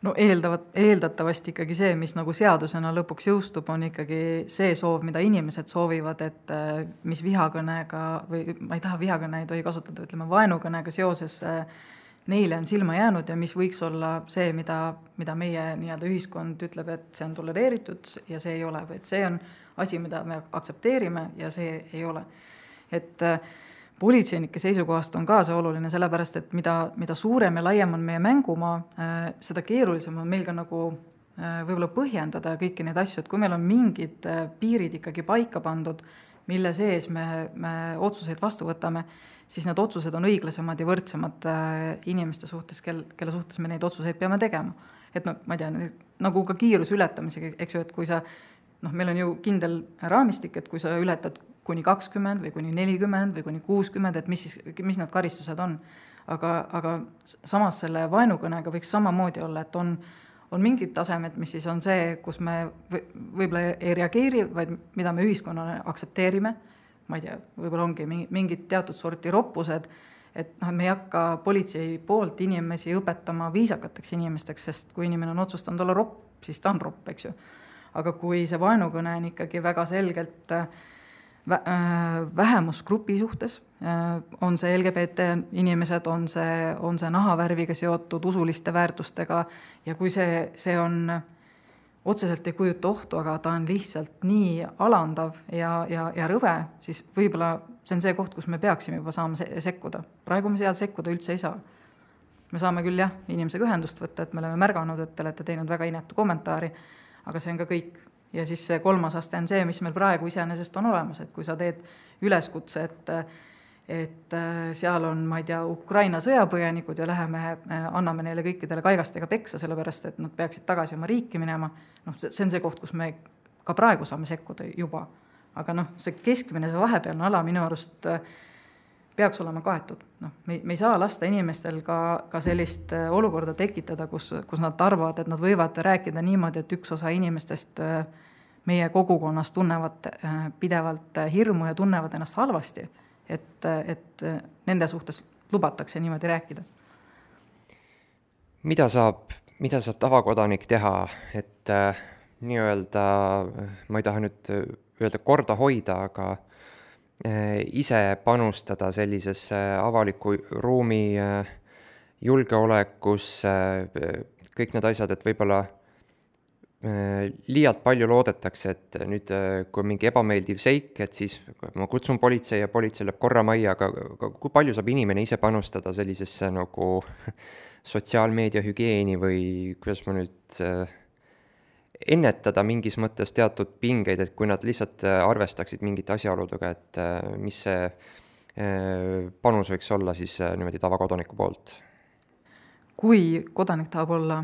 No eeldatavasti ikkagi see, mis nagu seadusena lõpuks jõustub, on ikkagi see soov, mida inimesed soovivad, et mis vihakõnega, või ma ei taha vihakõne, ei tohi kasutada, ütleme vaenukõnega seoses neile on silma jäänud ja mis võiks olla see, mida meie nii-öelda ühiskond ütleb, et see on tolereeritud ja see ei ole, või et see on asi, mida me aktsepteerime ja see ei ole. Et politseinike seisukohast on ka see oluline, sellepärast, et mida suurem ja laiem on meie mängumaa, seda keerulisem on meil ka nagu võib-olla põhjendada kõiki neid asju, et kui meil on mingid piirid ikkagi paika pandud, mille sees me otsuseid vastu võtame, siis need otsused on õiglasemad ja võrdsemad inimeste suhtes, kelle suhtes me neid otsuseid peame tegema. Et ma ei tea, nagu ka kiiruse ületamisega, eks ju, et kui sa, meil on ju kindel raamistik, et kui sa ületad kuni 20 või kuni 40 või kuni 60, et mis need karistused on. Aga samas selle vaenukõnega võiks samamoodi olla, et on mingid tasemed, mis siis on see, kus me võib-olla ei reageeri, vaid mida me ühiskonnale aktsepteerime. Ma ei tea, võib-olla ongi mingid teatud sorti roppused, et me ei hakka politsei poolt inimesi õpetama viisakateks inimesteks, sest kui inimene on otsustanud olla ropp, siis ta on ropp, eks ju. Aga kui see vaenukõne on ikkagi väga selgelt vähemusgrupi suhtes, on see LGBT inimesed, on see nahavärviga seotud usuliste väärtustega ja kui see on otseselt ei kujuta ohtu, aga ta on lihtsalt nii alandav ja rõve, siis võib-olla see on see koht, kus me peaksime juba saama sekkuda. Praegu me seal sekkuda üldse ei saa. Me saame küll inimesega ühendust võtta, et me oleme märganud, et te olete teinud väga inetu kommentaari, aga see on ka kõik. Ja siis see 3. aste on see, mis meil praegu iseenesest on olemas, et kui sa teed üleskutse, et seal on, ma ei tea, Ukraina sõjapõjanikud ja anname neile kõikidele kaigastega peksa, sellepärast, et nad peaksid tagasi oma riiki minema. See on see koht, kus me ka praegu saame sekkuda juba. Aga see keskmine, see vahepealne ala minu arust peaks olema kaetud. Me ei saa lasta inimestel ka sellist olukorda tekitada, kus nad arvavad, et nad võivad rääkida niimoodi, et üks osa inimestest meie kogukonnas tunnevad pidevalt hirmu ja tunnevad ennast halvasti, et nende suhtes lubatakse niimoodi rääkida. Mida saab tavakodanik teha, et nii-öelda, ma ei taha nüüd öelda korda hoida, aga ise panustada sellisesse avaliku ruumi julgeolekusse, kõik need asjad, et võib-olla liialt palju loodetakse, et nüüd, kui on mingi ebameeldiv seik, et siis ma kutsun politsei ja politsei läheb korra majja, aga kui palju saab inimene ise panustada sellisesse nagu sotsiaalmeedia hügieeni või kuidas ma nüüd ennetada mingis mõttes teatud pingeid, et kui nad lihtsalt arvestaksid mingite asjaoludega, et mis see panus võiks olla siis niimoodi tavakodaniku poolt? Kui kodanik tahab olla,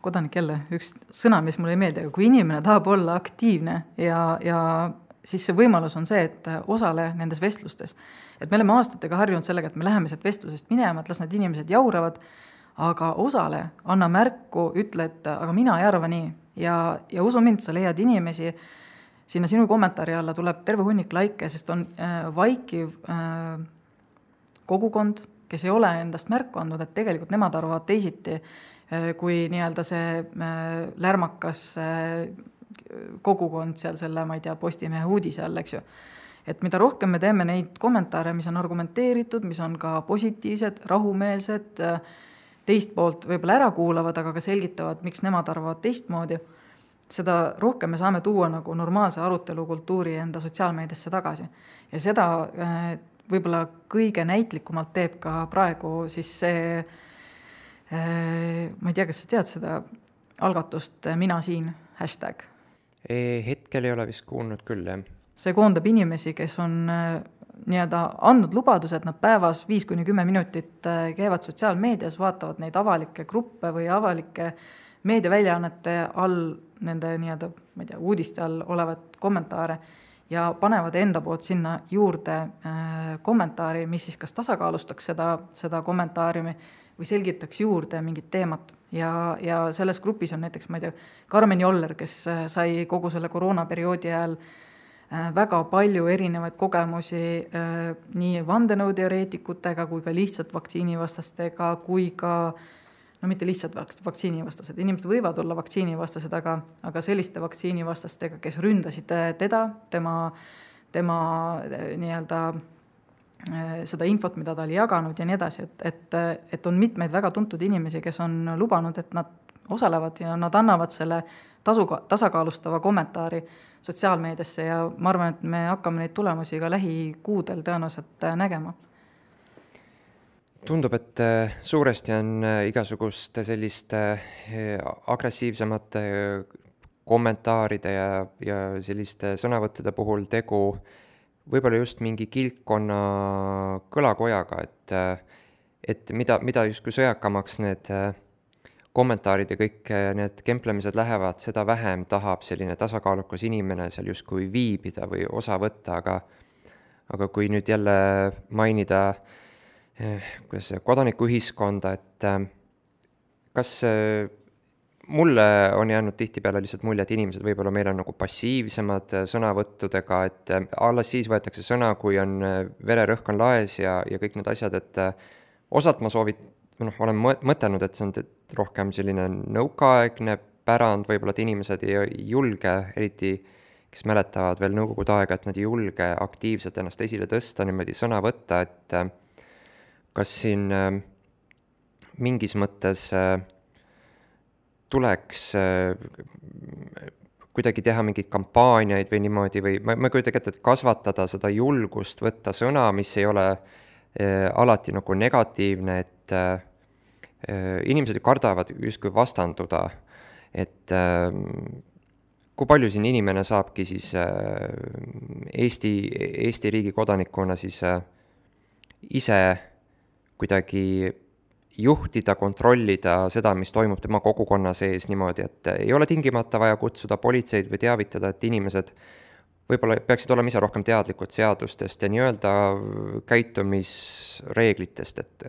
kodanik jälle, üks sõna, mis mulle ei meeldi, aga kui inimene tahab olla aktiivne ja siis see võimalus on see, et osale nendes vestlustes. Et me oleme aastatega harjunud sellega, et me läheme sealt vestlusest minema, et las need inimesed jauravad, aga osale anna märku, ütle, et aga mina ei arva nii. Ja usu mind, sa leiad inimesi, sinna sinu kommentaari alla tuleb terve hunnik laike, sest on vaikiv kogukond, kes ei ole endast märku andnud, et tegelikult nemad arvavad teisiti, kui nii-öelda see lärmakas kogukond seal selle, ma ei tea, Postimehe uudise all, eks ju. Et mida rohkem me teeme neid kommentaare, mis on argumenteeritud, mis on ka positiivsed, rahumeelsed, teist poolt võib-olla ära kuulavad, aga ka selgitavad, miks nemad arvavad teistmoodi, seda rohkem me saame tuua nagu normaalse arutelukultuuri enda sotsiaalmeediasse tagasi. Ja seda võib-olla kõige näitlikumalt teeb ka praegu siis see, ma ei tea, kas sa tead seda algatust Mina siin hashtag? Hetkel ei ole vist kuulnud küll, jah. See koondab inimesi, kes on nii-öelda andnud lubadused, nad päevas 5-10 minutit käivad sotsiaalmeedias, vaatavad neid avalikke gruppe või avalike meediaväljaannete all, nende nii-öelda, ma ei tea, uudiste all olevat kommentaare ja panevad enda poolt sinna juurde kommentaari, mis siis kas tasakaalustaks seda kommentaariumi või selgitaks juurde mingit teemat. Ja selles grupis on näiteks, ma ei tea, Karmen Joller, kes sai kogu selle koroonaperioodi ajal väga palju erinevaid kogemusi nii vandenõuteoreetikutega kui ka lihtsalt vaktsiinivastastega, kui ka, no mitte lihtsalt vaktsiinivastased, inimesed võivad olla vaktsiinivastased, aga selliste vaktsiinivastastega, kes ründasid teda, tema nii-öelda seda infot, mida ta oli jaganud ja nii edasi, et on mitmeid väga tuntud inimesi, kes on lubanud, et nad osalevad ja nad annavad selle tasakaalustava kommentaari sotsiaalmeediasse ja ma arvan, et me hakkame neid tulemusi ka lähikuudel tõenäoliselt nägema. Tundub, et suuresti on igasuguste selliste agressiivsemate kommentaaride ja selliste sõnavõttude puhul tegu võib-olla just mingi kilpkonna kõlakojaga, et mida justkui sõjakamaks need kommentaarid ja kõik need kemplemised lähevad, seda vähem tahab selline tasakaalukas inimene seal justkui viibida või osa võtta, aga kui nüüd jälle mainida kodanikuühiskonda, et kas mulle on jäänud tihtipeale lihtsalt mulje, et inimesed võib-olla meil on nagu passiivsemad sõnavõttudega, et alles siis võetakse sõna, kui on vererõhk on laes ja kõik need asjad, et osalt ma olen mõtelnud, et see on rohkem selline nõukaaegne pärand, võib-olla et inimesed ei julge, eriti kes mäletavad veel nõukogude aega, et nad ei julge aktiivselt ennast esile tõsta, niimoodi sõna võtta, et kas siin mingis mõttes tuleks kuidagi teha mingeid kampaaniaid või niimoodi, või ma kujutan ette, et kasvatada seda julgust võtta sõna, mis ei ole alati nagu negatiivne, et inimesed kardavad justkui vastanduda, et kui palju siin inimene saabki siis Eesti riigi kodanikuna siis ise kuidagi juhtida, kontrollida seda, mis toimub tema kogukonna sees niimoodi, et ei ole tingimata vaja kutsuda politseid või teavitada, et inimesed võib-olla peaksid olema ise rohkem teadlikud seadustest ja nii-öelda käitumisreeglitest, et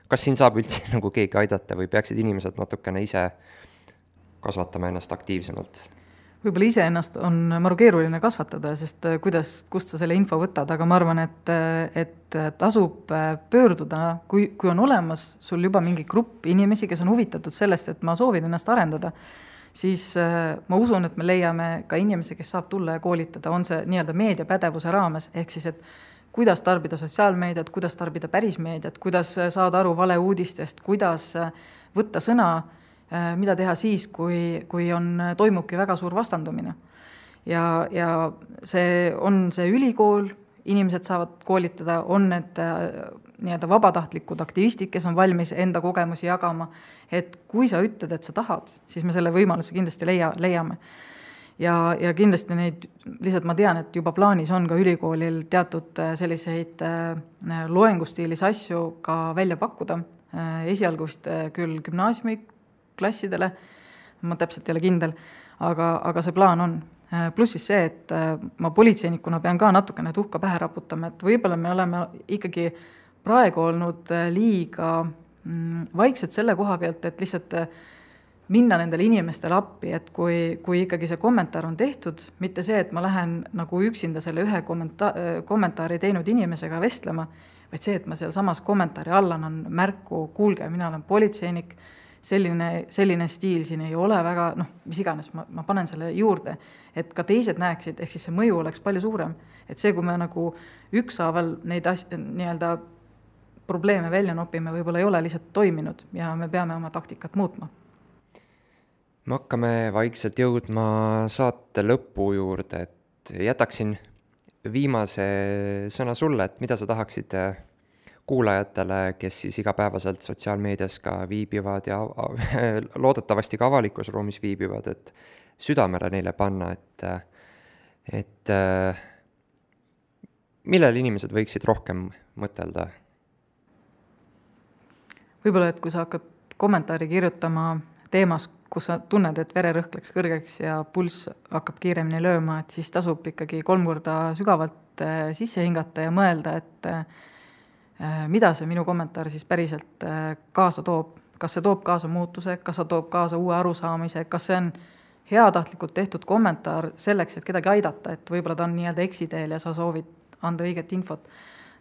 kas siin saab üldse nagu keegi aidata või peaksid inimesed natukene ise kasvatama ennast aktiivsemalt? Võib-olla ise ennast on maru keeruline kasvatada, sest kust sa selle info võtad, aga ma arvan, et tasub pöörduda, kui on olemas sul juba mingi grupp inimesi, kes on huvitatud sellest, et ma soovin ennast arendada, siis ma usun, et me leiame ka inimesi, kes saab tulla ja koolitada, on see nii-öelda meediapädevuse raames, ehk siis, et kuidas tarbida sotsiaalmeediat, kuidas tarbida pärismeediat, kuidas saada aru valeuudistest, kuidas võtta sõna mida teha siis, kui toimubki väga suur vastandumine. Ja see on see ülikool, inimesed saavad koolitada, on need nii-öelda vabatahtlikud aktivistid, kes on valmis enda kogemusi jagama, et kui sa ütled, et sa tahad, siis me selle võimaluse kindlasti leiame. Ja kindlasti neid, lihtsalt ma tean, et juba plaanis on ka ülikoolil teatud selliseid loengustiilis asju ka välja pakkuda. Esialgu vist küll gümnaasiumiklassidele, ma täpselt ei ole kindel, aga see plaan on. Pluss siis see, et ma politseinikuna pean ka natukene tuhka pähe raputama, et võib-olla me oleme ikkagi praegu olnud liiga vaiksed selle koha pealt, et lihtsalt minna nendele inimestele appi, et kui ikkagi see kommentaar on tehtud, mitte see, et ma lähen nagu üksinda selle ühe kommentaari teinud inimesega vestlema, vaid see, et ma seal samas kommentaari alla annan märku, kuulge, mina olen politseinik, selline stiil siin ei ole väga, mis iganes, ma panen selle juurde, et ka teised näeksid, ehk siis see mõju oleks palju suurem. Et see, kui me nagu ükshaaval neid nii-öelda probleeme välja nopime, võib-olla ei ole lihtsalt toiminud ja me peame oma taktikat muutma. Me hakkame vaikselt jõudma saate lõpu juurde, et jätaksin viimase sõna sulle, et mida sa tahaksid kuulajatele, kes siis igapäevaselt sotsiaalmeedias ka viibivad ja loodetavasti ka avalikus ruumis viibivad, et südamele neile panna, et millel inimesed võiksid rohkem mõtelda? Võib-olla, et kui sa hakkad kommentaari kirjutama teemas, kus sa tunned, et vererõhk läks kõrgeks ja pulss hakkab kiiremini lööma, et siis tasub ikkagi 3 korda sügavalt sisse hingata ja mõelda, et mida see minu kommentaar siis päriselt kaasa toob. Kas see toob kaasa muutuse, kas see toob kaasa uue arusaamise, kas see on heatahtlikult tehtud kommentaar selleks, et kedagi aidata, et võib-olla ta on nii-öelda eksiteel ja sa soovid anda õiget infot.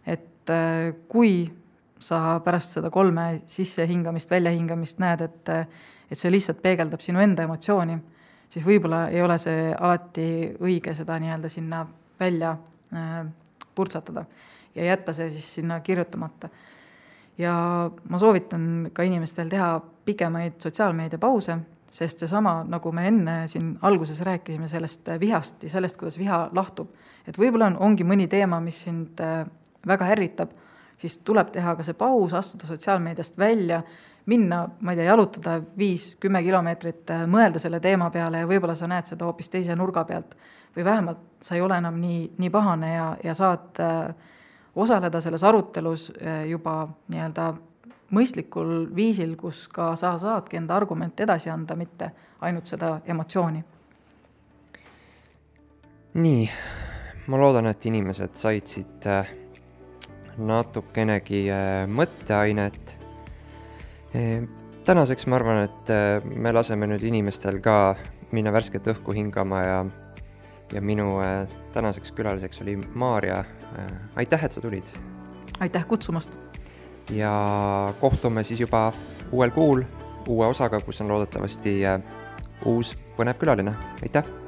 Et kui sa pärast seda 3 sissehingamist, väljahingamist näed, et see lihtsalt peegeldab sinu enda emotsiooni, siis võib-olla ei ole see alati õige seda nii-öelda sinna välja purtsatada ja jätta see siis sinna kirjutamata. Ja ma soovitan ka inimestel teha pikemaid sotsiaalmeedia pause, sest seesama, nagu me enne siin alguses rääkisime sellest vihast ja sellest, kuidas viha lahtub, et võib-olla ongi mõni teema, mis sind väga ärritab, siis tuleb teha ka see paus, astuda sotsiaalmeediast välja, minna, ma ei tea, jalutada 5-10 kilomeetrit, mõelda selle teema peale ja võib-olla sa näed seda hoopis teise nurga pealt või vähemalt sa ei ole enam nii pahane ja saad osaleda selles arutelus juba nii-öelda mõistlikul viisil, kus ka sa saadki enda argument edasi anda, mitte ainult seda emotsiooni. Nii, ma loodan, et inimesed said siit natukenegi mõtteainet. Tänaseks ma arvan, et me laseme nüüd inimestel ka minna värsket õhku hingama ja minu tänaseks külaliseks oli Maarja. Aitäh, et sa tulid. Aitäh kutsumast. Ja kohtume siis juba uuel kuul, uue osaga, kus on loodetavasti uus põnev külaline. Aitäh!